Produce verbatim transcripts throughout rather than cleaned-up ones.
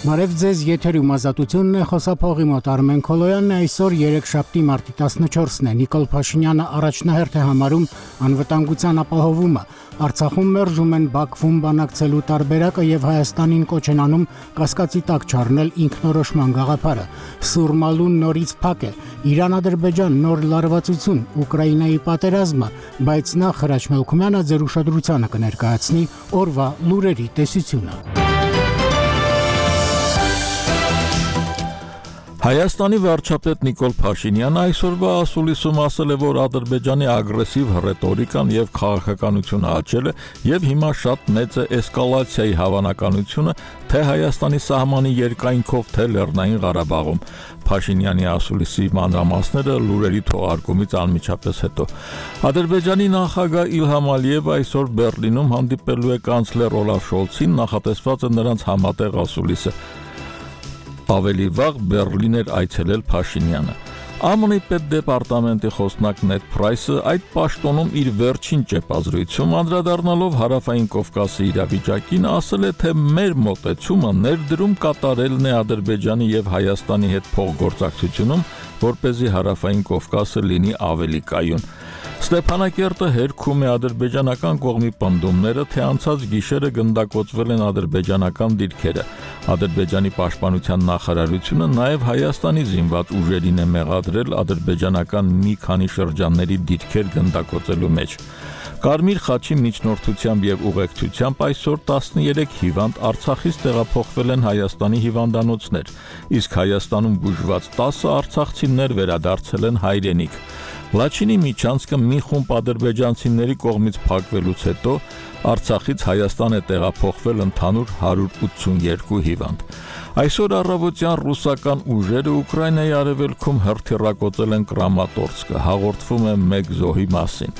Բարև ձեզ, եթերում ազատությունն է, խոսափողի մոտ Արմեն Քոլոյանն է, այսօր երեքշաբթի մարտի տասնչորսն է, Նիկոլ Փաշինյանը առաջնահերթ է համարում անվտանգության ապահովումը, Արցախում մերժում են Բաքվում բանակցելու տարբերակը եւ Հայաստանին կոչ են անում կասկածի տակ չառնել ինքնորոշման գաղափարը, Սուրմալուն նորից փակ է, Իրան-Ադրբեջան նոր լարվածություն, Ուկրաինայի պատերազմը, բայց նախ Հրաչ Մելքումյանը ձեր ուշադրությանը կներկայացնի օրվա լուրերի տեսությունը։ Հայաստանի վարչապետ Նիկոլ Փաշինյանը այսօրվա ասուլիսում ասել է, որ Ադրբեջանի ագրեսիվ ռետորիկան եւ քաղաքականությունը աճել է եւ հիմա շատ մեծ է էսկալացիայի հավանականությունը թե Հայաստանի սահմանի երկայնքով, թե Լեռնային Ղարաբաղում։ Փաշինյանի ասուլիսի մանրամասները լուրերի թողարկումից անմիջապես հետո։ Ադրբեջանի նախագահ Իլհամ Ալիևը այսօր Բեռլինում հանդիպելու է կանցլեր Օլաֆ Շոլցին, նախատեսված է նրանց համատեղ ասուլիսը։ Ավելի վաղ Բեռլին էր այցելել Փաշինյանը։ ԱՄՆ-ի պետդեպարտամենտի խոսնակ Նեդ Փրայսը այդ պաշտոնում իր վերջին ճեպազրույցում անդրադառնալով Հարավային Կովկասի իրավիճակին ասել է, թե մեր մոտեցումը ներդրում կատարելն է Ադրբեջանի եւ Հայաստանի հետ փոխգործակցությունում, որպեսզի Հարավային Կովկասը լինի ավելի կայուն։ Ստեփանակերտը հերքում է ադրբեջանական կողմի պնդումները, թե անցած գիշերը գնդակոծվել են ադրբեջանական դիրքերը։ Ադրբեջանի պաշտպանության նախարարությունը նաև Հայաստանի զինված ուժերին է մեղադրել ադրբեջանական մի քանի շրջանների դիրքեր գնդակոծելու մեջ։ Կարմիր խաչի միջնորդությամբ եւ ուղեկցությամբ այսօր տասներեք հիվանդ Արցախից տեղափոխվել են Հայաստանի հիվանդանոցներ, իսկ Հայաստանում բուժված տասը արցախցիներ վերադարձել են հայրենիք։ Լաչինի միջանցքը մի խումբ ադրբեջանցիների կողմից փակվելուց հետո Արցախից Հայաստան է տեղափոխվել ընդհանուր հարյուր ութսուներկու հիվանդ։ Այսօր առավոտյան ռուսական ուժերը Ուկրաինայի արևելքում հրթիռակոծել են Կրամատորսկը, հաղորդվում է մեկ զոհի մասին։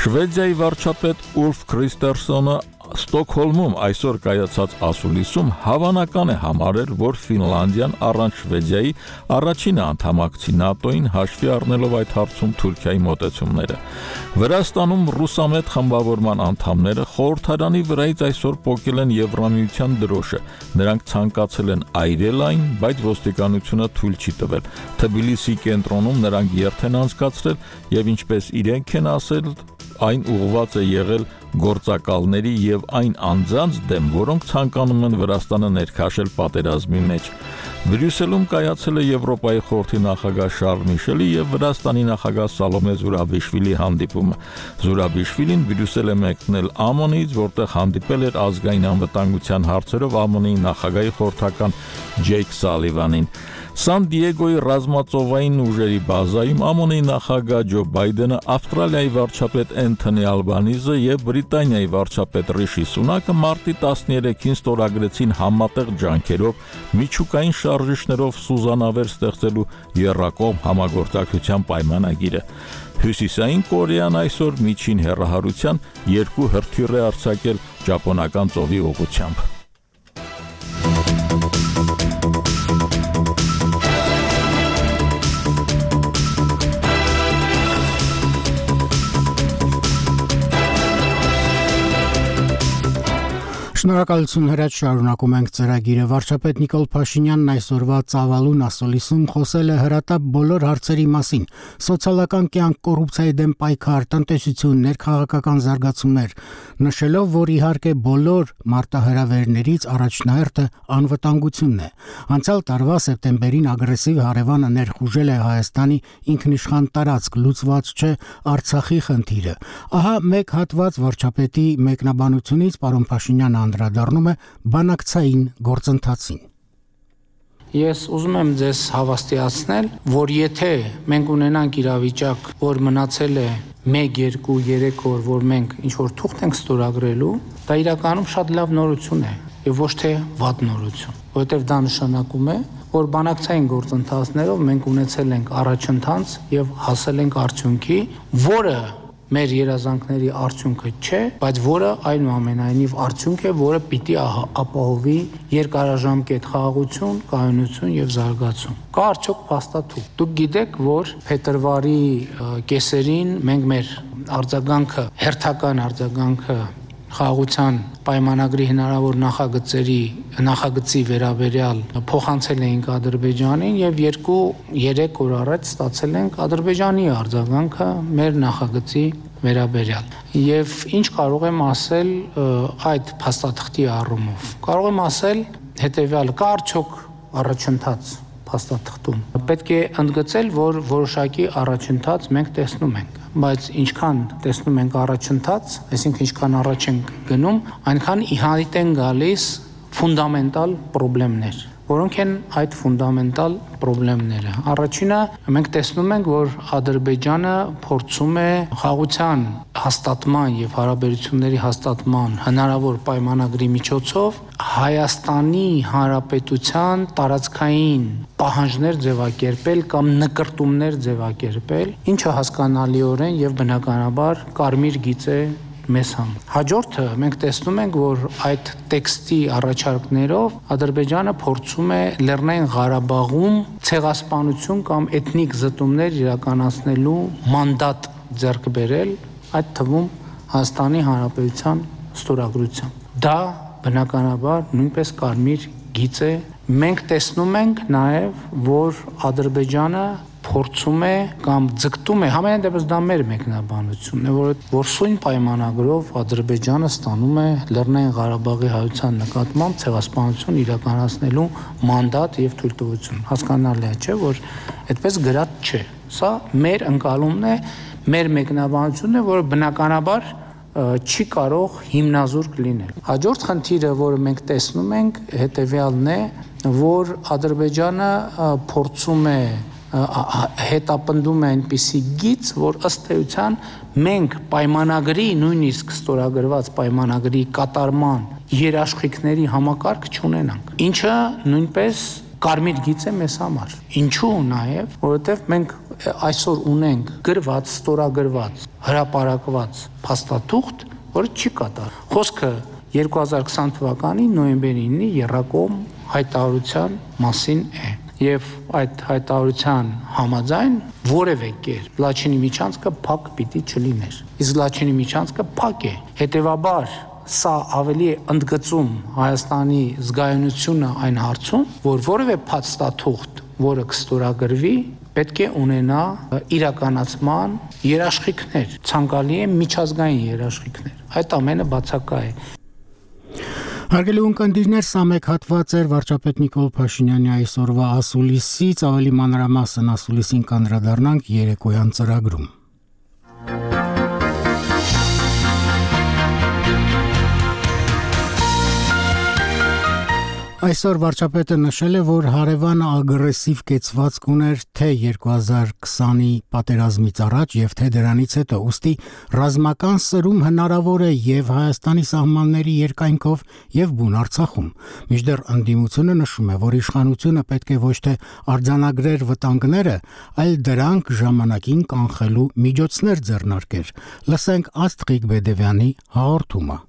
Շվեդիայի վարչապետ Ուլֆ Քրիստերսոնը Ստոկհոլմում այսօր կայացած ասուլիսում հավանական է համարել, որ Ֆինլանդիան առանց Շվեդիայի առաջինը անդամակցի ՆԱՏՕ-ին հաշվի առնելով այդ հարցում Թուրքիայի մոտեցումները։ Վրաստանում ռուսամետ խմբավորման անդամները խորհրդարանի վրայից այսօր պոկել են Եվրամիության դրոշը։ Նրանք ցանկացել են այրել այն, բայց ոստիկանությունը թույլ չի տվել։ Թբիլիսի կենտրոնում նրանք երթ են անցկացրել եւ ինչպես իրենք են ասել, այն ուղղված է եղել գործակալների եւ այն անձանց դեմ, որոնք ցանկանում են Վրաստանը ներքաշել պատերազմի մեջ։ Բրյուսելում կայացել է Եվրոպայի խորհրդի նախագահ Շարլ Միշելի եւ Վրաստանի նախագահ Սալոմե Զուրաբիշվիլի հանդիպումը։ Զուրաբիշվիլին Բրյուսել է մեկնել ԱՄՆ-ից, որտեղ հանդիպել էր ազգային անվտանգության հարցերով ԱՄՆ-ի նախագահի խորհրդական Ջեյք Սալիվանին։ Սան Դիեգոյի ռազմածովային ուժերի բազայում ԱՄՆ-ի նախագահ Ջո Բայդենը, Ավստրալիայի վարչապետ Էնթոնի Ալբանիզը եւ Բրիտանիայի վարչապետ Ռիշի Սունակը մարտի տասներեքին ստորագրեցին համատեղ ջանքերով միջուկային շարժիչներով սուզանավեր ստեղծելու եռակողմ համագործակցության պայմանագիրը։ Հյուսիսային Կորեան այսօր միջին հեռահարության երկու հրթիռ է արձակել Ճապոնական ծովի ուղղությամբ։ Շնորհակալություն Հրաչ, շարունակում ենք ծրագիրը։ Վարչապետ Նիկոլ Փաշինյանն այսօրվա ծավալուն ասուլիսում խոսել է հրատապ բոլոր հարցերի մասին՝ սոցիալական կյանք, կոռուպցիայի դեմ պայքար, տնտեսություն, ներքաղաքական զարգացումներ, նշելով, որ իհարկե բոլոր մարտահրավերներից առաջնահերթը անվտանգությունն է։ Անցյալ տարվա սեպտեմբերին ագրեսիվ հարևանը ներխուժել է Հայաստանի ինքնիշխան տարածք, լուծված չէ Արցախի խնդիրը։ Ահա մեկ հատված վարչապետի մեկնաբանությունից պարոն Փաշինյանը անդրադառնում է բանակցային գործընթացին։ Ես ուզում եմ ձեզ հավաստիացնել, որ եթե մենք ունենանք իրավիճակ, որ մնացել է մեկ, երկու, երեք օր, որ մենք ինչ-որ թուղթ ենք ստորագրելու, դա իրականում շատ լավ նորություն է եւ ոչ թե վատ նորություն, որովհետեւ դա նշանակում է, որ բանակցային գործընթացներով մենք ունեցել ենք առաջընթաց եւ հասել ենք արդյունքի, որը մեր երազանքների արդյունքը չէ, բայց որը այնուամենայնիվ արդյունք է, որը պիտի ապահովի երկարաժամկետ խաղաղություն, կայունություն եւ զարգացում։ Կա արդյոք փաստաթուղթ։ Դուք գիտեք, որ փետրվարի կեսերին մենք մեր արձագանքը, հերթական արձագանքը խաղաղության պայմանագրի հնարավոր նախագծերի նախագծի վերաբերյալ փոխանցել էինք Ադրբեջանին եւ երկու երեք օր առաջ ստացել ենք Ադրբեջանի արձագանքը մեր նախագծի վերաբերյալ եւ ինչ կարող եմ ասել այդ փաստաթղթի առումով կարող եմ ասել հետեւյալ կա արդյոք առաջընթաց փաստաթղթում պետք է ընդգծել որ որոշակի առաջընթաց մենք տեսնում ենք բայց ինչքան տեսնում ենք առաջընթաց այսինքն ինչքան առաջ ենք գնում այնքան իհայտ են գալիս ֆունդամենտալ խնդիրներ որոնք են այդ ֆունդամենտալ խնդիրները առաջինը մենք տեսնում ենք որ Ադրբեջանը փորձում է խաղաղության հաստատման եւ հարաբերությունների հաստատման հնարավոր պայմանագրի միջոցով Հայաստանի Հանրապետության տարածքային պահանջներ ձևակերպել կամ նկարտումներ ձևակերպել ինչը հասկանալիորեն եւ բնականաբար կարմիր գիծ է մեզ համ հաջորդը մենք տեսնում ենք որ այդ տեքստի առաջարկներով Ադրբեջանը փորձում է Լեռնային Ղարաբաղում ցեղասպանություն կամ էթնիկ զտումներ իրականացնելու մանդատ ձեռք բերել այդ թվում Հայաստանի Հանրապետության ստորագրությամբ դա բնականաբար նույնպես կարմիր գիծ է մենք տեսնում ենք նաև որ Ադրբեջանը փորձում է կամ ձգտում է համենայն դեպս դա մեր մեկնաբանությունն է որ որ սույն պայմանագրով Ադրբեջանը ստանում է Լեռնային Ղարաբաղի հայության նկատմամբ ցեղասպանություն իրականացնելու մանդատ եւ թույլտվություն հասկանալի է չէ որ այդպես գրած չէ սա մեր ընկալումն է մեր մեկնաբանությունն է որը բնականաբար չի կարող հիմնազուրկ լինել հաջորդ խնդիրը որը մենք տեսնում ենք հետեւյալն է որ Ադրբեջանը փորձում է հետապնդում է այնպիսի գիծ, որ ըստ էության մենք պայմանագրի նույնիսկ ստորագրված պայմանագրի կատարման երաշխիքների համակարգ չունենանք, ինչը նույնպես կարմիր գիծ է մեզ համար։ Ինչու նաև, որովհետև մենք այսօր ունենք գրված, ստորագրված, հրապարակված փաստաթուղթ, որը չի կատարվում։ Խոսքը երկու հազար քսան թվականի նոյեմբերի ինը եռակողմ հայտարարության մասին է։ Եվ այդ հայտարարության համաձայն որևէ կերպ Լաչինի միջանցքը փակ պիտի չլիներ։ Իսկ Լաչինի միջանցքը փակ է։ Հետևաբար սա ավելի է ընդգծում Հայաստանի զգայունությունը այն հարցում, որ որևէ փաստաթուղթ, որը կստորագրվի, պետք է ունենա իրականացման երաշխիքներ, ցանկալի է միջազգային երաշխիքներ։ Այդ ամենը բացակա է։ Հարգելի ունկնդիրներ, սա մեկ հատված էր վարչապետ Նիկոլ Փաշինյանի այսօրվա ասուլիսից, ավելի մանրամասն ասուլիսին կանդրադառնանք երեկոյան ծրագրում։ Այսօր վարչապետը նշել է, որ հարևանը ագրեսիվ կեցվածք ուներ թե երկու հազար քսանի պատերազմից առաջ եւ թե դրանից հետո, ուստի ռազմական սրում հնարավոր է եւ Հայաստանի սահմանների երկայնքով եւ բուն Արցախում։ Մինչդեռ ընդդիմությունը նշում է, որ իշխանությունը պետք է ոչ թե արձանագրեր վտանգները, այլ դրանք ժամանակին կանխելու միջոցներ ձեռնարկեր։ Լսենք Աստղիկ Բեդևյանի հաղորդումը։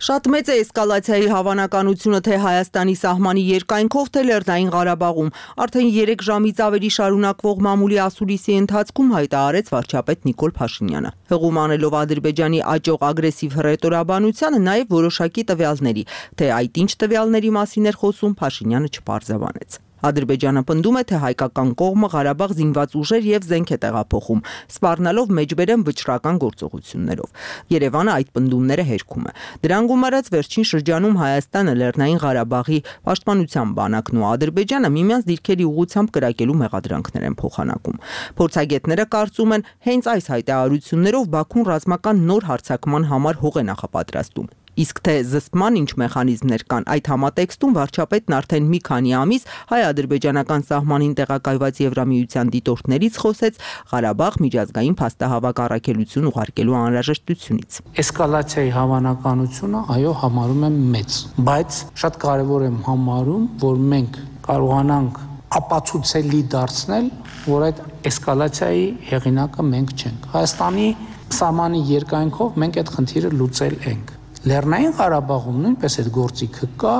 Շատ մեծ է էսկալացիայի հավանականությունը թե Հայաստանի սահմանի երկայնքով, թե Լեռնային Ղարաբաղում։ Արդեն երեք ժամից ավելի շարունակվող մամուլի ասուլիսի ընթացքում հայտարարեց վարչապետ Նիկոլ Փաշինյանը։ Հղում անելով Ադրբեջանի աճող ագրեսիվ հռետորաբանությանը, նաև որոշակի տվյալների, թե այդ ինչ տվյալների մասին էր խոսում, Փաշինյանը չպարզաբանեց։ Ադրբեջանը պնդում է, թե հայկական կողմը Ղարաբաղ զինված ուժեր եւ զենք է տեղափոխում, սպառնալով մեջբերեմ վճռական գործողություններով։ Երևանը այդ պնդումները հերքում է։ Դրան գումարած վերջին շրջանում Հայաստանը, Լեռնային Ղարաբաղի պաշտպանության բանակն ու Ադրբեջանը միմյանց դիրքերի ուղղությամբ կրակելու մեղադրանքներ են փոխանակում։ Փորձագետները կարծում են, հենց այս հայտարարություններով Բաքուն ռազմական նոր հարձակման համար հող է նախապատրաստում։ Իսկ թե զսպման ինչ մեխանիզմներ կան, այդ համատեքստում վարչապետն արդեն մի քանի ամիս հայ-ադրբեջանական սահմանին տեղակայված Եվրամիության դիտորդներից խոսեց Ղարաբաղ միջազգային փաստահավաք առաքելություն ուղարկելու անհրաժեշտությունից։ Էսկալացիայի հավանականությունը, այո, համարում եմ մեծ, բայց շատ կարևոր եմ համարում, որ մենք կարողանանք ապացուցելի դարձնել, որ այդ էսկալացիայի հեղինակը մենք չենք։ Հայաստանի սահմանի երկայնքով մենք այդ խնդիրը լուծել ենք։ Լեռնային Ղարաբաղում նույնպես այդ գործիքը կա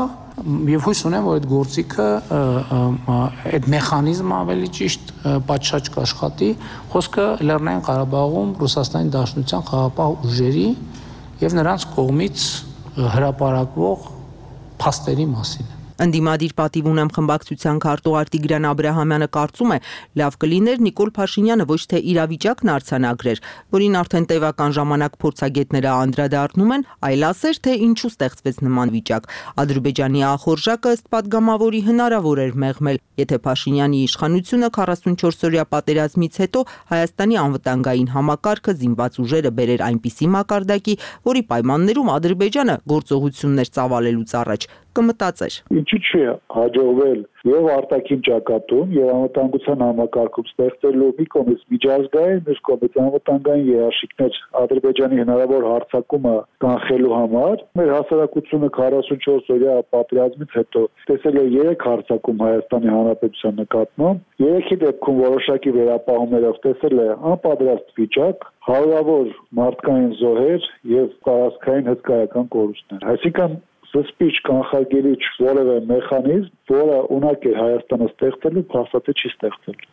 եւ հույս ունեմ, որ այդ գործիքը այդ մեխանիզմը ավելի ճիշտ պատշաճ կաշխատի։ Խոսքը Լեռնային Ղարաբաղում Ռուսաստանի Դաշնության խաղաղապահ ուժերի եւ նրանց կողմից հրապարակվող փաստերի մասին։ Ընդդիմադիր պատիվ ունեմ խմբակցության քարտուղար Տիգրան Աբրահամյանը կարծում է, լավ կլիներ Նիկոլ Փաշինյանը ոչ թե իրավիճակն արձանագրեր, որին արդեն տևական ժամանակ փորձագետները անդրադառնում են, այլ ասեր, թե ինչու ստեղծվեց նման վիճակ։ Ադրբեջանի ախորժակը ըստ падգամավորի հնարավոր էր մեղմել, եթե Փաշինյանի իշխանությունը քառասունչորս-օրյա պատերազմից հետո Հայաստանի անվտանգային համակարգը զինված ուժերը բերեր այնպիսի մակարդակի, որի պայմաններում Ադրբեջանը գործողություններ ծավալելուց առաջ կմտածեր։ Ինչու՞ չի հաջողվել եւ արտաքին ճակատում եւ անվտանգության համակարգում ստեղծելու մի կողմից միջազգային, մյուս կողմից անվտանգային երաշխիքներ Ադրբեջանի հնարավոր հարձակումը կանխելու համար։ Մեր հասարակությունը քառասունչորս-օրյա պատերազմից հետո տեսել է երեք հարձակում Հայաստանի Հանրապետության նկատմամբ։ Երեքի դեպքում որոշակի վերապահումներով տեսել է անպատրաստ վիճակ, հարյուրավոր մարդկային զոհեր եւ տարածքային հսկայական կորուստներ։ Այսինքն սպիչ կանխարգելիչ որևէ մեխանիզմ, որը ունակ է Հայաստանը ստեղծելու, փաստաթղթ չի ստեղծել։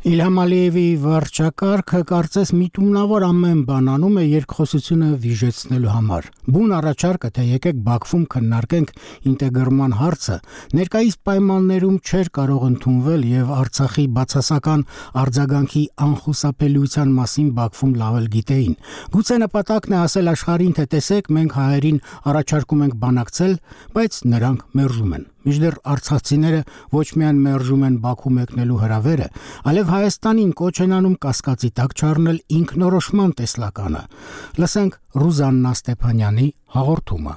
Իլհամ Ալիևի վարչակարգը կարծես միտումնավոր ամեն բան անում է երկխոսությունը վիժեցնելու համար։ Բուն առաջարկը, թե եկեք Բաքվում քննարկենք ինտեգրման հարցը, ներկայիս պայմաններում չէր կարող ընդունվել եւ Արցախի բացասական արձագանքի անխուսափելիության մասին Բաքվում լավ էլ գիտեին։ Գուցե նպատակն է ասել աշխարհին, թե տեսեք, մենք հայերին առաջարկում ենք բանակցել, բայց նրանք մերժում են։ Մինչդեռ արցախցիները ոչ միայն մերժում են Բաքու մեկնելու հրավերը, այլև Հայաստանին կոչ են անում կասկածի տակ չառնել ինքնորոշման տեսլականը։ Լսենք Ռուզաննա Ստեփանյանի հաղորդումը։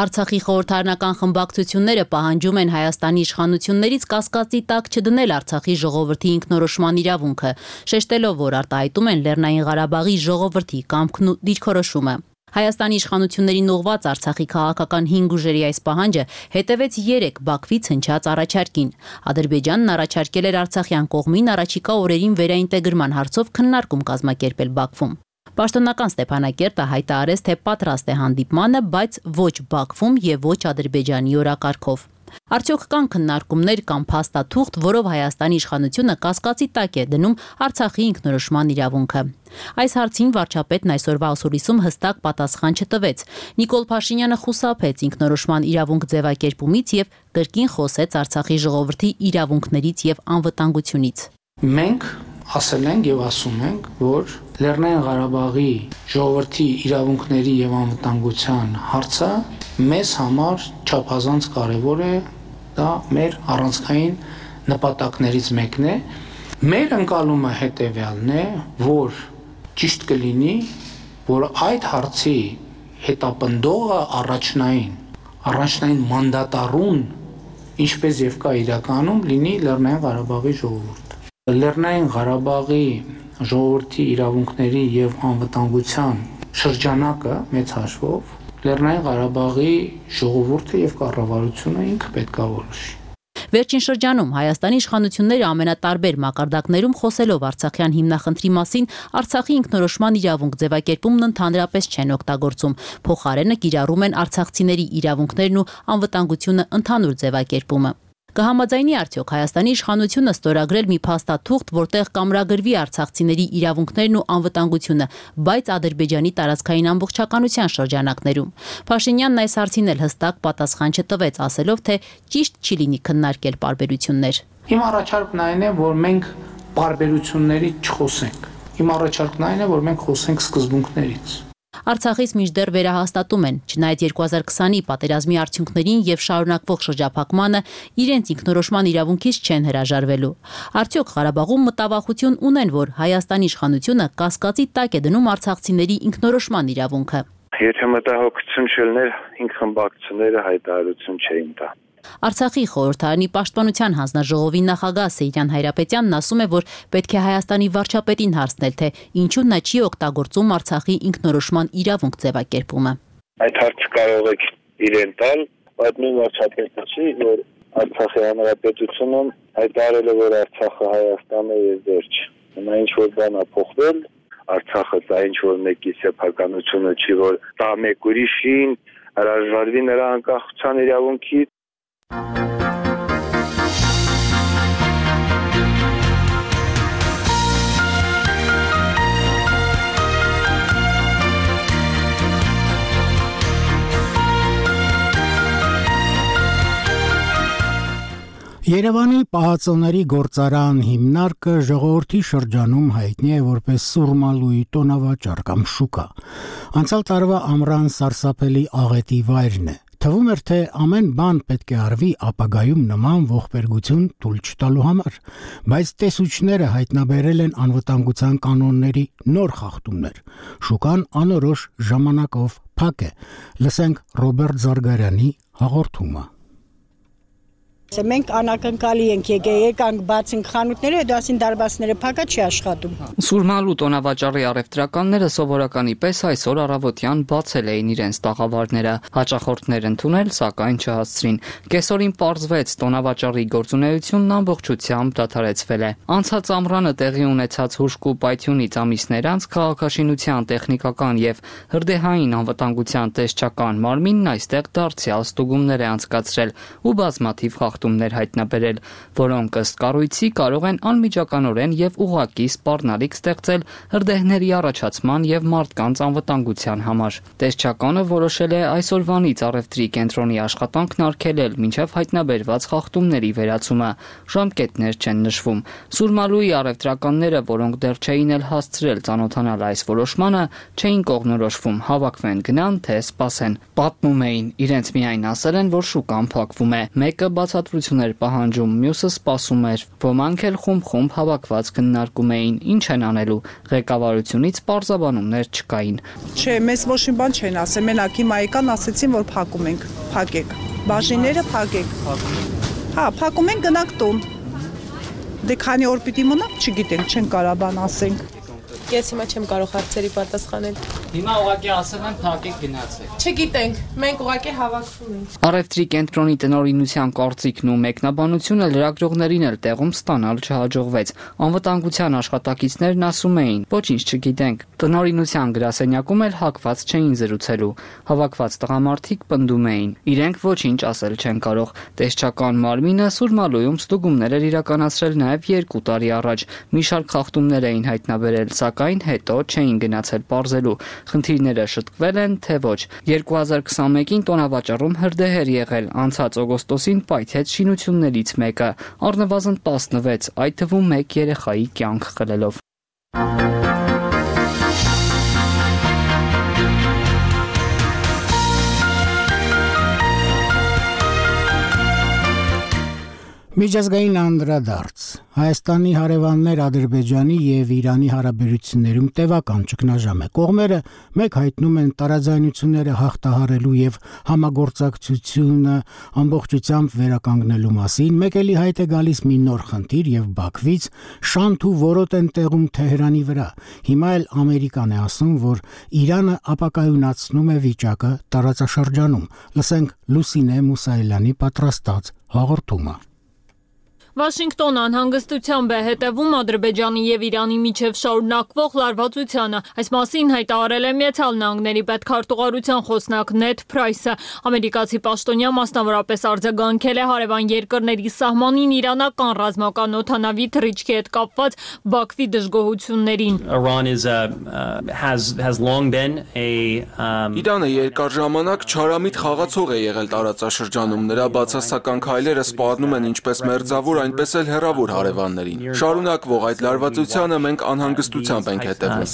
Արցախի խորհրդարանական խմբակցությունները պահանջում են Հայաստանի իշխանություններից կասկածի տակ չդնել Արցախի ժողովրդի ինքնորոշման իրավունքը, շեշտելով, որ արտահայտում են Լեռնային Ղարաբաղի ժողովրդի կամքն ու դիրքորոշումը։ Հայաստանի իշխանություններին ուղղված Արցախի քաղաքական հինգ ուժերի այս պահանջը հետևեց երեք Բաքվից հնչած առաջարկին։ Ադրբեջանն առաջարկել էր արցախյան կողմին առաջիկա օրերին վերաինտեգրման հարցով քննարկում կազմակերպել Բաքվում։ Պաշտոնական Ստեփանակերտը հայտարարեց, թե պատրաստ է հանդիպմանը, բայց ոչ Բաքվում եւ ոչ Ադրբեջանի օրակարգով։ Արդյոք կան քննարկումներ կամ փաստաթուղթ, որով Հայաստանի իշխանությունը կասկածի տակ է դնում Արցախի ինքնորոշման իրավունքը։ Այս հարցին վարչապետն այսօրվա ասուլիսում հստակ պատասխան չտվեց։ Նիկոլ Փաշինյանը խուսափեց ինքնորոշման իրավունք ձևակերպումից եւ կրկին խոսեց Արցախի ժողովրդի իրավունքներից եւ անվտանգությունից։ Մենք ասել ենք եւ ասում ենք, որ Լեռնային Ղարաբաղի ժողովրդի իրավունքների եւ անվտանգության հարցը մեզ համար չափազանց կարևոր է, դա մեր առանցքային նպատակներից մեկն է։ Մեր ընկալումը հետեւյալն է, որ ճիշտ կլինի, որ այդ հարցի հետապնդողը առաջնային, առաջնային մանդատառուն, ինչպես եւ կա իրականում, լինի Լեռնային Ղարաբաղի ժողովուրդը։ Լեռնային Ղարաբաղի ժողովրդի իրավունքների եւ անվտանգության շրջանակը մեծ հաշվով Լեռնային Ղարաբաղի ժողովուրդը եւ կառավարությունը ինքը պետք է որոշի։ Վերջին շրջանում Հայաստանի իշխանությունները ամենատարբեր մակարդակներում խոսելով Արցախյան հիմնախնդրի մասին Արցախի ինքնորոշման իրավունք ձևակերպումն ընդհանրապես չեն օգտագործում։ Փոխարենը կիրառում են արցախցիների իրավունքներն ու անվտանգությունը ընդհանուր ձևակերպումը։ Կհամաձայնի արդյոք Հայաստանի իշխանությունը ստորագրել մի փաստաթուղթ, որտեղ կամրագրվի արցախցիների իրավունքներն ու անվտանգությունը, բայց Ադրբեջանի տարածքային ամբողջականության շրջանակներում։ Փաշինյանն այս հարցին էլ հստակ պատասխան չտվեց, ասելով, թե ճիշտ չի լինի քննարկել պարբերություններ։ Իմ առաջարկն այն է, որ մենք պարբերությունների չխոսենք։ Իմ առաջարկն այն է, որ մենք խոսենք սկզբունքներից։ Արցախից մինչդեռ վերահաստատում են, չնայած երկու հազար քսանի պատերազմի արդյունքներին եւ շարունակվող շրջափակմանը իրենց ինքնորոշման իրավունքից չեն հրաժարվելու։ Արդյոք Ղարաբաղում մտավախություն ունեն, որ Հայաստանի իշխանությունը կասկածի տակ է դնում արցախցիների ինքնորոշման իրավունքը։ Եթե մտահոգություն չլներ, ինք խմբակցությունները հայտարարություն չէին տա։ Արցախի խորհրդարանի պաշտպանության հանձնաժողովի նախագահ Սեյրան Հայրապետյանն ասում է, որ պետք է Հայաստանի վարչապետին հարցնել, թե ինչու նա չի օգտագործում Արցախի ինքնորոշման իրավունք ձևակերպումը։ Այդ հարցը կարող եք իրեն տալ, բայց նույն վարչապետը չի, որ Արցախի հանրապետությունը հայտարարել է, որ Արցախը Հայաստանն է եւ վերջ։ Նա ինչ որ բան է փոխվել, Արցախը դա ինչ որ մեկի սեփականությունը չի, որ դա մեկ ուրիշին հրաժարվի նրա անկախության իրավունքից։ Երևանի պահածոների գործարան հիմնարկը ժողովրդի շրջանում հայտնի է որպես Սուրմալուի տոնավաճառ կամ շուկա։ Անցյալ տարվա ամռան սարսափելի աղետի վայրն է։ Թվում էր, թե ամեն բան պետք է արվի ապագայում նման ողբերգություն թույլ չտալու համար, բայց տեսուչները հայտնաբերել են անվտանգության կանոնների նոր խախտումներ։ Շուկան անորոշ ժամանակով փակ է։ Լսենք Ռոբերտ Զարգարյանի հաղորդումը։ Մենք անակնկալի ենք եկել, եկանք բացենք խանութները, հետո ասին դարբասները փակա չի աշխատում։ Սուրմալու տոնավաճառի առևտրականները սովորականի պես այսօր առավոտյան բացել էին իրենց տաղավարները, հաճախորդներ ընդունել, սակայն չհասցրին։ Կեսօրին պարզվեց տոնավաճառի գործունեությունն ամբողջությամբ դադարեցվել է։ Անցած ամռանը տեղի ունեցած հուժկ ու պայթյունից ամիսներ անց քաղաքաշինության տեխնիկական եւ հրդեհային անվտանգության տեսչական մարմինն այստեղ դարձյալ ստուգումներ է անցկացրել ու բազմաթիվ խախտումներ հայտնաբերել, որոնք ըստ կառույցի կարող են անմիջականորեն եւ ուղղակի սպառնալիք ստեղծել հրդեհների առաջացման եւ մարդկանց անվտանգության համար։ Տեսչականը որոշել է այսօրվանից առևտրի կենտրոնի աշխատանքն արգելել մինչեւ հայտնաբերված խախտումների վերացումը։ Ժամկետներ չեն նշվում։ Սուրմալուի առևտրականները, որոնք դեռ չէին էլ հասցրել ծանոթանալ այս որոշմանը, չէին կողմնորոշվում, հավաքվեն գնան, թե սպասեն։ Պատմում էին, իրենց միայն ասել են, որ շուկան փակվում է։ Մեկը բացատրություն էր պահանջում, մյուսը սպասում էր։ Ոմանք էլ խումբ-խումբ հավաքված քննարկում էին, ինչ են անելու։ Ղեկավարությունից պարզաբանումներ չկային։ Չէ, մեզ ոչ մի բան չեն ասել, մենակ հիմա եկան ասեցին, որ փակում ենք, փակեք։ Բաժինները փակեք։ Հա, փակում ենք, գնանք տուն։ Դե քանի օր պիտի մնանք, չգիտենք, չեն կարա բան ասենք։ Ես հիմա չեմ կարող հարցերի պատասխանել։ Հիմա ուղղակի ասել են փակեք գնացեք։ Չգիտենք, մենք ուղղակի հավաքվում ենք։ Առևտրի կենտրոնի տնօրինության կարծիքն ու մեկնաբանությունը լրագրողներին էլ տեղում ստանալ չհաջողվեց։ Անվտանգության աշխատակիցներն ասում էին, ոչինչ չգիտենք։ Տնօրինության գրասենյակում էլ հակված չէին զրուցելու։ Հավաքված տղամարդիկ պնդում էին, իրենք ոչինչ ասել չեն կարող։ Տեսչական մարմինը Սուրմալուում ստուգումներ էր իրականացրել նաև երկու տարի առաջ։ Մի շարք խախտումներ էին հայտնաբերել, սակայն հետո չէին գնացել պարզելու։ Խնդիրները շտկվել են, թե ոչ։ երկու հազար քսանմեկին տոնավաճառում հրդեհ էր եղել, անցած օգոստոսին պայթեց շինություններից մեկը, առնվազն տասնվեց, այդ թվում մեկ երեխայի կյանք խլելով։ Միջազգային անդրադարձ Հայաստանի հարևաններ Ադրբեջանի եւ Իրանի հարաբերություններում տևական ճգնաժամ է։ Կողմերը մեկ հայտնում են տարաձայնությունները հաղթահարելու եւ համագործակցությունը ամբողջությամբ վերականգնելու մասին, մեկ էլի հայտ է գալիս մի նոր խնդիր եւ Բաքվից շանթ ու որոտ են տեղում Թեհրանի վրա։ Հիմա էլ Ամերիկան է ասում, որ Իրանը ապակայունացնում է վիճակը տարածաշրջանում։ Լսենք Լուսինե Մուսայելյանի պատրաստած հաղորդումը։ Վաշինգտոնը անհանգստությամբ է հետևում Ադրբեջանի եւ Իրանի միջև շարունակվող լարվածությանը։ Այս մասին հայտարարել է Միացյալ Նահանգների պետքարտուղարության խոսնակ Նեդ Փրայսը։ Ամերիկացի պաշտոնյա մասնավորապես արձագանքել է հարևան երկրների սահմանին իրանական ռազմական օդանավի թռիչքի հետ կապված Բաքվի դժգոհություններին։ Իրանը երկար ժամանակ չարամիտ խաղացող է եղել տարածաշրջանում։ Նրա բացասական քայլերը սպառնում են ինչպես մերձավոր, այնպես էլ հեռավոր հարևաններին։ Շարունակվող այդ լարվածությանը մենք անհանգստությամբ ենք հետևում։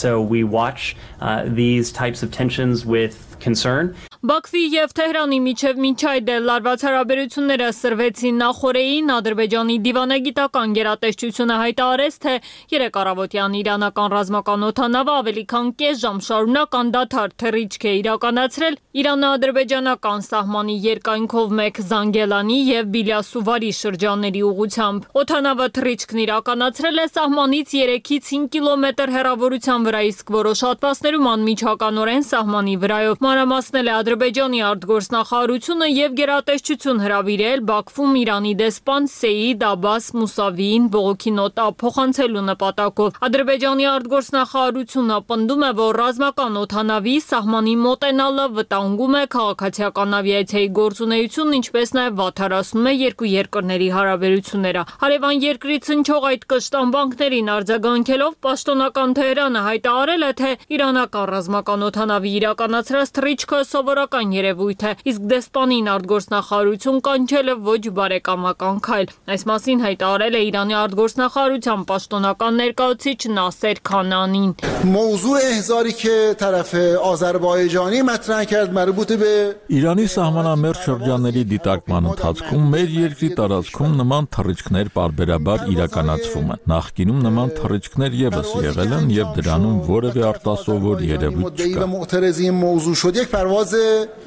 Բաքվի եւ Թեհրանի միջև մինչ այդ էլ լարված հարաբերությունները սրվեցին նախորդին։ Ադրբեջանի դիվանագիտական գերատեսչությունը հայտարարեց, թե երեք առավոտյան իրանական ռազմական օդանավը ավելի քան կես ժամ շարունակ անդադար թռիչք է իրականացրել Իրано-ադրբեջանական սահմանի երկայնքով մեկ Զանգելանի եւ Բիլյասուվարի շրջանների ուղղությամբ։ Օդանավը թռիչքն իրականացրել է սահմանից երեքից հինգ կիլոմետր հեռավորության վրա, իսկ որոշ հատվածներում անմիջականորեն սահմանի վրայով։ Մանրամասնել է Ադրբեջանի արտգործնախարարությունը եւ գերատեսչություն հրավիրել Բաքվում Իրանի դեսպան Սեյիդ Աբբաս Մուսավիին բողոքի նոտա փոխանցելու նպատակով։ Ադրբեջանի արտգործնախարարությունը պնդում է, որ ռազմական օդանավի սահմանի մոտենալը վտանգում է քաղաքացիական ավիացիայի գործունեությունն, ինչպես նաեւ վատթարացնում է երկու երկրների հարաբերությունները։ Հարևան երկրից հնչող այդ կշտամբանքներին արձագանքելով պաշտոնական Թեհրանը հայտարարել է, թե իրանական ռազմական օդանավի իրականացրած թռիչքը սովորական երևույթ է, իսկ դեսպանին արտգործնախարարություն կանչել է ոչ բարեկամական քայլ։ Այս մասին հայտարարել է Իրանի արտգործնախարարության պաշտոնական ներկայացուցիչ Նասեր Քանանին։ موضوع احضاری که طرف آذربایجانی مطرح کرد مربوط به Իրանի սահմանամերձ շրջանների դիտարկման ընթացքում մեր երկրի տարածքում նման թռիչքներ պարբերաբար իրականացվում են։ Նախկինում նման թռիչքներ եւս եղել են եւ դրանում որևէ արտասովոր երևույթ չկա։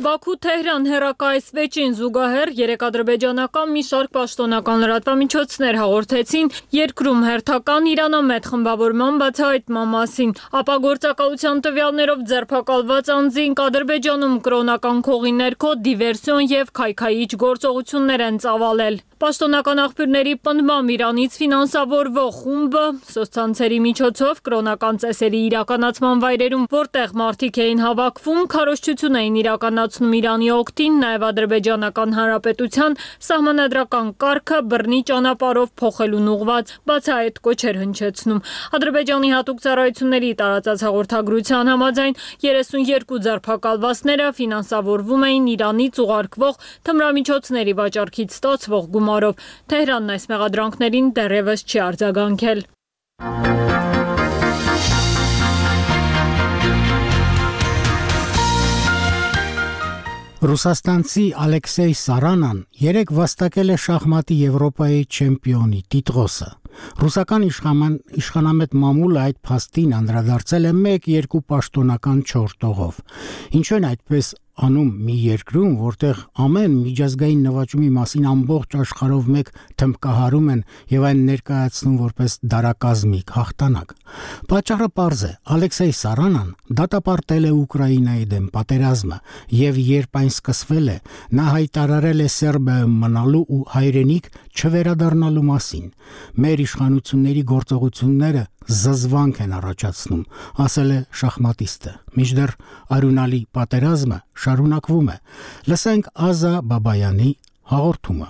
Բաքու-Թեհրան հեռակայսվեճին զուգահեռ երեք ադրբեջանական մի շարք պաշտոնական լրատվամիջոցներ հաղորդեցին երկրում հերթական իրանամետ խմբավորման բացահայտման մասին։ Ապագործակալության տվյալներով ձերբակալված անձինք Ադրբեջանում կրոնական քողի ներքո դիվերսիոն եւ քայքայիչ գործողություններ են ծավալել։ Պաշտոնական աղբյուրների պնդմամբ Իրանից ֆինանսավորվող խումբը սոցցանցերի միջոցով կրոնական ծեսերի իրականացման վայրերում, որտեղ մարդիկ էին հավաքվում, քարոզչություն էին իրականացնում Իրանի օգտին, նաև Ադրբեջանական Հանրապետության սահմանադրական կարգը բռնի ճանապարհով փոխելուն ուղղված բացահայտ կոչեր հնչեցնում։ Ադրբեջանի հատուկ ծառայությունների տարածած հաղորդագրության համաձայն երեսունյոթ ձերբակալվածները ֆինանսավորվում էին Իրանից ուղարկվող թմրամիջոցների վաճառքից ստացվող գումարով։ Թեհրանն այս մեղադրանքներին դեռևս չի արձագանքել։ Ռուսաստանցի Ալեքսեյ Սարանան երեք վաստակել է շախմատի Եվրոպայի չեմպիոնի տիտղոսը։ Ռուսական իշխանամետ մամուլը այդ փաստին անդրադարձել է մեկ երկու պաշտոնական չորս տողով։ Ինչու են այդպես անում մի երկրում, որտեղ ամեն միջազգային նվաճումի մասին ամբողջ աշխարհով մեկ թմբկահարում են եւ այն ներկայացնում որպես դարակազմիկ հաղթանակ։ Պատճառը պարզ է։ Ալեքսեյ Սարանան դատապարտել է Ուկրաինայի դեմ պատերազմը եւ երբ այն սկսվել է, նա հայտարարել է Սերբիայում մնալու ու հայրենիք չվերադառնալու մասին։ Մեր իշխանությունների գործողությունները զզվանք են առաջացնում, ասել է շախմատիստը։ Մինչդեռ արյունալի պատերազմը շարունակվում է։ Լսենք Ազա Բաբայանի հաղորդումը։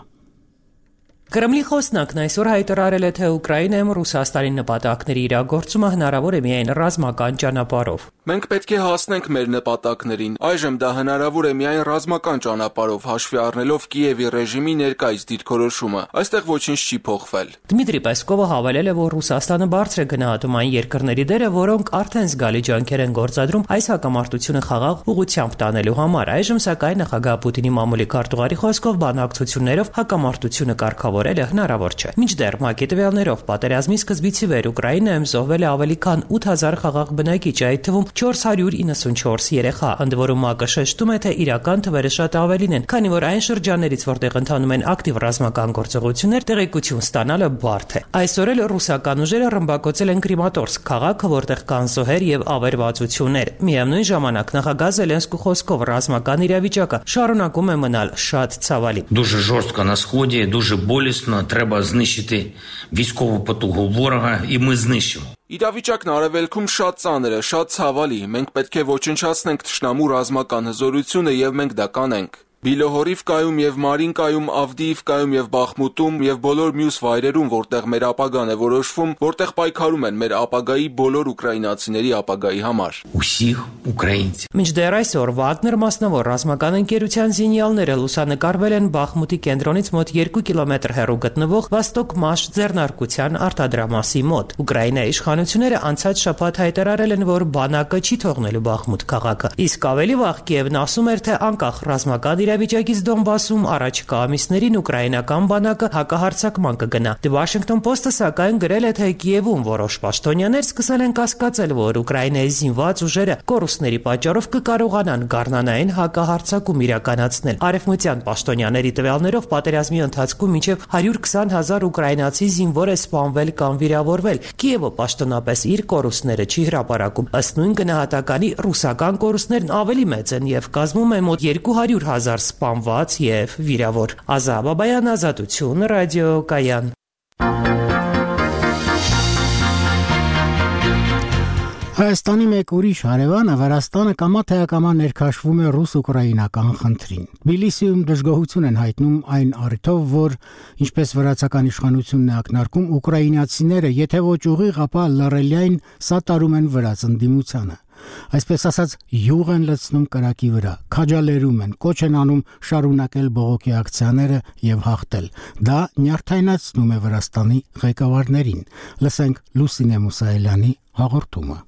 Կրեմլի խոսնակն այսօր հայտարարել է, թե Ուկրաինայում Ռուսաստանի նպատակների իրագործումը հնարավոր է միայն ռազմական ճանապարհով։ Մենք պետք է հասնենք մեր նպատակներին։ Այժմ դա հնարավոր է միայն ռազմական ճանապարհով, հաշվի առնելով Կիևի ռեժիմի ներկայիս դիրքորոշումը։ Այստեղ ոչինչ չի փոխվել։ Դմիտրի Պեսկովը հավելել է, որ Ռուսաստանը բարձր է գնահատում այն երկրների դերը, որոնք արդեն զգալի ջանքեր են գործադրում այս հակամարտությունը խաղաղ ուղղությամբ տանելու համար։ Այժմ սակայն նախագահ Պուտինի մամուլի քարտուղարի խոսքով բանակցություններով հակամարտությունը կարգավորելը հնարավոր չէ։ Մինչդեռ ՄԱԿ-ի տվյալներով պատերազմի սկզբից ի վեր Ուկրաինայում զոհվել է ավելի քան ութ հազար խաղաղ բնակիչ, այդ թվում չորս հարյուր իննսունչորս երեխա, ընդ որում ՄԱԿ-ը շեշտում է, թե իրական թվերը շատ ավելին են, քանի որ այն շրջաններից, որտեղ ընթանում են ակտիվ ռազմական գործողություններ, տեղեկություն ստանալը բարդ է։ Այսօր էլ ռուսական ուժերը ռմբակոծել են Կրիմատորսկ քաղաքը, որտեղ կան զոհեր եւ ավերվածություններ։ Միևնույն ժամանակ նախագահ Զելենսկու խոսքով ռազմական իրավիճակը շարունակում է մնալ շատ ցավալի։ Дуже жорстко на сході, дуже болісно, треба знищити військову потугу ворога, і ми знищимо. Իրավիճակն արևելքում շատ ծանր է, շատ ցավալի։ Մենք պետք է ոչնչացնենք թշնամու ռազմական հզորությունը եւ մենք դա կանենք։ Բիլոհորիվկայում եւ Մարինկայում, Ավդիիվկայում եւ Բախմուտում եւ բոլոր մյուս վայրերում, որտեղ մեր ապագան է որոշվում, որտեղ պայքարում են մեր ապագայի բոլոր ուկրաինացիների ապագայի համար։ Усіх українців։ Մինչդեռ այսօր Վագներ մասնավոր ռազմական ընկերության զինյալները լուսանկարվել են Բախմուտի կենտրոնից մոտ երկու կիլոմետր հեռու գտնվող Վաստոկ Մաշ ձեռնարկության արտադրամասի մոտ։ Ուկրաինայի իշխանությունները անցած շաբաթ հայտարարել են, որ բանակը չի թողնելու Բախմուտ քաղաքը։ Իսկ ավելի վաղ Կիևն ասում էր, թե անկախ ռազմական իրավիճակից Դոնբասում առաջիկա ամիսներին ուկրաինական բանակը հակահարձակման կգնա։ The Washington Post-ը սակայն գրել է, թե Կիևում որոշ պաշտոնյաներ սկսել են կասկածել, որ Ուկրաինայի զինված ուժերը կորուստների պատճառով կկարողանան գառնանային հակահարձակում իրականացնել։ Արևմտյան պաշտոնյաների տվյալներով պատերազմի ընթացքում մինչև հարյուր քսան հազար ուկրաինացի զինվոր է սպանվել կամ վիրավորվել։ Կիևը պաշտոնապես իր կորուստները չի հրապարակում։ Ըստ նույն գնահատականի ռուսական կորուստներն ավելի մեծ են եւ կազմում են մոտ երկու հարյուր հազար սպանված եւ վիրավոր։ Ազա Բաբայան, Ազատություն, ռադիոկայան։ Հայաստանի մեկ ուրիշ հարևանը Վրաստանը կամա թե ակամա ներքաշվում է ռուս-ուկրաինական խնդրին։ Թբիլիսիում դժգոհություն են հայտնում այն առիթով, որ ինչպես վրացական իշխանությունն է ակնարկում, ուկրաինացիները եթե ոչ ուղիղ, ապա լռելիայն սատարում են վրաց ընդդիմությանը։ Այսպես ասած, յուղ են լցնում կրակի վրա, քաջալերում են, կոչ են անում շարունակել բողոքի ակցիաները եւ հաղթել։ Դա նյարդայնացնում է Վրաստանի ղեկավարներին։ Լսենք Լուսինե Մուսայելյանի հաղորդումը։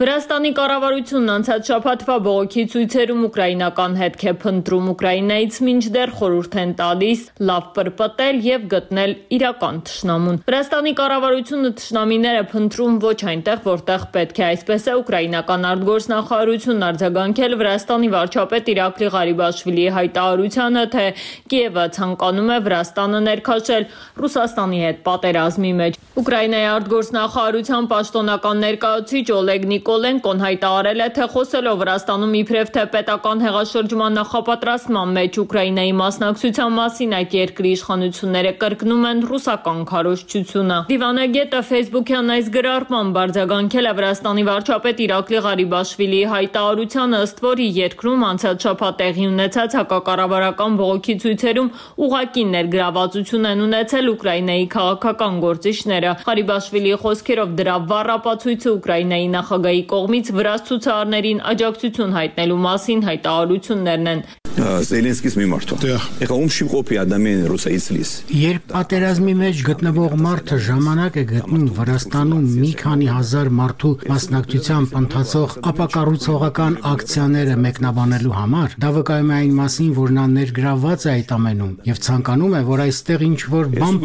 Վրաստանի կառավարությունն անցած շաբաթվա բողոքի ցույցերում ուկրաինական հետք է փնտրում, Ուկրաինայից մինչդեռ խորհուրդ են տալիս լավ պրպտել եւ գտնել իրական թշնամուն։ Վրաստանի կառավարությունը թշնամիները փնտրում ոչ այնտեղ, որտեղ պետք է, այսպես է ուկրաինական արտգործնախարարությունն արձագանքել Վրաստանի վարչապետ Իրակլի Ղարիբաշվիլիի հայտարարությանը, թե Կիևը ցանկանում է Վրաստանը ներքաշել Ռուսաստանի հետ պատերազմի մեջ։ Ուկրաինայի արտգործնախարարության պաշտոնական ներկայացուցիչ Օլեգ Նիկոլենկոն հայտարարել է, թե խոսելով Վրաստանում իբրև թե պետական հեղաշրջման նախապատրաստման մեջ Ուկրաինայի մասնակցության մասին այդ երկրի իշխանությունները կրկնում են ռուսական քարոզչությունը։ Դիվանագետը Facebook-յան այս գրառմամբ արձագանքել է Վրաստանի վարչապետ Իրակլի Ղարիբաշվիլիի հայտարարությանը, ըստ որի երկրում անցած շաբաթ տեղի ունեցած հակակառավարական բողոքի ցույցերում ուղղակի ներգրավվածություն են ունեցել Ուկրաինայի քաղաքական գործիչները։ Ղարիբաշվիլիի խոսքերով դրա վառ ապացույցը Ուկրաինայի նախագահի կողմից վրաց ցուցարարներին աջակցություն հայտնելու մասին հայտարարություններն են։ Զելենսկիս մի մարդու։ Եկա ում շիմ կոպի ադամեն ռուսայից լիս։ Երբ պատերազմի մեջ գտնվող մարդը ժամանակ է գտնում Վրաստանում մի քանի հազար մարդու մասնակցությամբ ընթացող ապակառուցողական ակցիաները մեկնաբանելու համար, դա վկայում է այն մասին, որ նա ներգրավված է այդ ամենում եւ ցանկանում է, որ այստեղ ինչ-որ բան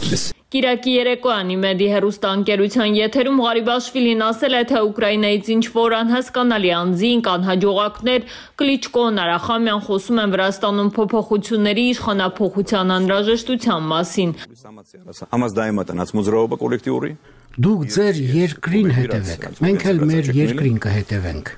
փոխվի։ Կիրակի երեկոյան Իմեդի հեռուստաընկերության եթերում Ղարիբաշվիլին ասել է, թե Ուկրաինայից ինչ-որ անհասկանալի անձինք, անհաջողակներ Կլիչկոն, Արախամյան խոսում են Վրաստանում փոփոխությունների իշխանափոխության անհրաժեշտության մասին։ Դուք ձեր երկրին հետևեք, մենք էլ մեր երկրին կհետևենք։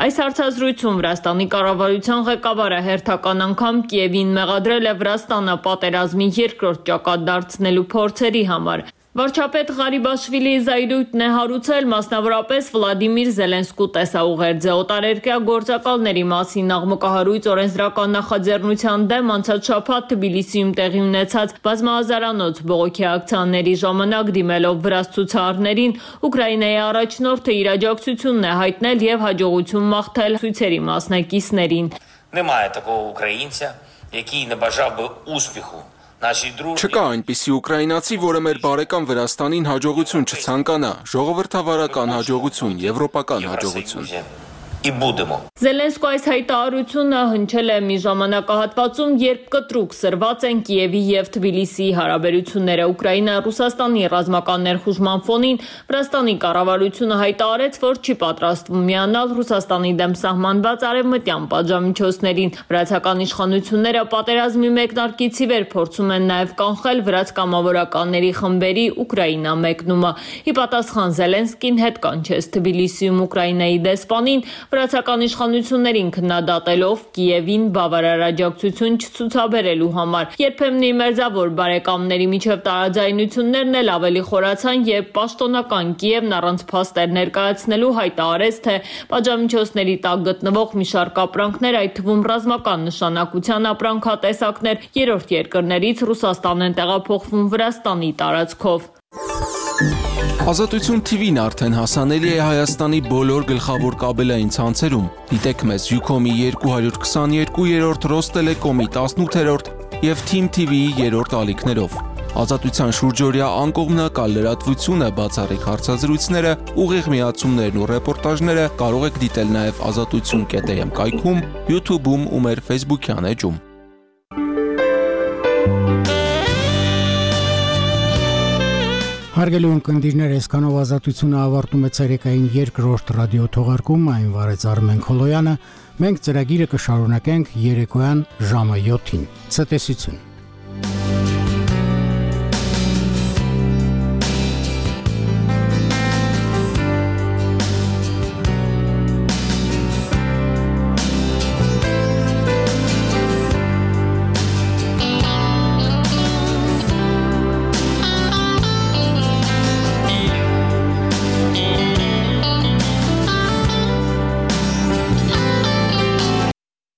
Այս հարցազրույցում Վրաստանի կառավարության ղեկավարը հերթական անգամ Կիևին մեղադրել է Վրաստանը պատերազմի երկրորդ ճակատ դարձնելու փորձերի համար։ Վարչապետ Ղարիբաշվիլիի զայրույթն է հարուցել մասնավորապես Վլադիմիր Զելենսկու տեսաուղերձը օտարերկրյա գործակալների մասին աղմկահարույց օրենսդրական նախաձեռնության դեմ անցած շաբաթ Թբիլիսիում տեղի ունեցած բազմահազարանոց բողոքի ակցիաների ժամանակ դիմելով վրաց ցուցարարներին Ուկրաինայի առաջնորդը իր աջակցությունն է հայտնել եւ հաջողություն մաղթել ցույցերի մասնակիցներին։ Немає такого українця, який не бажав би успіху. Չկա այնպիսի ուկրաինացի, որը մեր բարեկամ Վրաստանին հաջողություն չցանկանա, ժողովրդավարական հաջողություն, եվրոպական հաջողություն։ Զելենսկու այս հայտարարությունը հնչել է մի ժամանակահատվածում, երբ կտրուկ սրված են Կիևի եւ Թբիլիսիի հարաբերությունները։ Ուկրաինա Ռուսաստանի ռազմական ներխուժման ֆոնին Վրաստանի կառավարությունը հայտարարեց, որ չի պատրաստվում միանալ Ռուսաստանի դեմ սահմանված արևմտյան պատժամիջոցներին։ Վրացական իշխանությունները պատերազմի մեկնարկից ի վեր փորձում են նաեւ կանխել վրաց կամավորականների խմբերի Ուկրաինա մեկնումը։ Ի պատասխան Զելենսկին հետ կանչեց Թբիլիսիում Ուկրաինայի դեսպանին վրացական իշխանություններին քննադատելով Կիևին բավարար աջակցություն չցուցաբերելու համար։ Երբեմն մերձավոր բարեկամների միջև տարաձայնություններն էլ ավելի խորացան, երբ պաշտոնական Կիևն առանց փաստեր ներկայացնելու հայտարարեց, թե պատժամիջոցների տակ գտնվող մի շարք ապրանքներ, այդ թվում ռազմական նշանակության ապրանքատեսակներ, երրորդ երկրներից Ռուսաստան են տեղափոխվում Վրաստանի տարածքով։ Ազատություն T V-ն արդեն հասանելի է Հայաստանի բոլոր գլխավոր կաբելային ցանցերում։ Դիտեք մեզ Յուքոմի երկու քսաներկու երրորդ, Ռոստելեկոմի տասնութերորդ եւ Թիմ T V-ի երրորդ ալիքներով։ Ազատության շուրջօրյա անկողմնակալ լրատվությունը, բացառիկ հարցազրույցները, ուղիղ միացումներն ու ռեպորտաժները կարող եք դիտել նաև ազատություն կետ էյ էմ կայքում, YouTube-ում ու մեր Facebook-յան էջում։ Հարգելի ունկնդիրներ, այսքանով ազատությունը ավարտում է ցերեկային երկրորդ ռադիո թողարկում, այն վարեց Արմեն Քոլոյանը, մենք ծրագիրը կշարունակենք երեկոյան ժամը յոթին։ Ցտեսություն։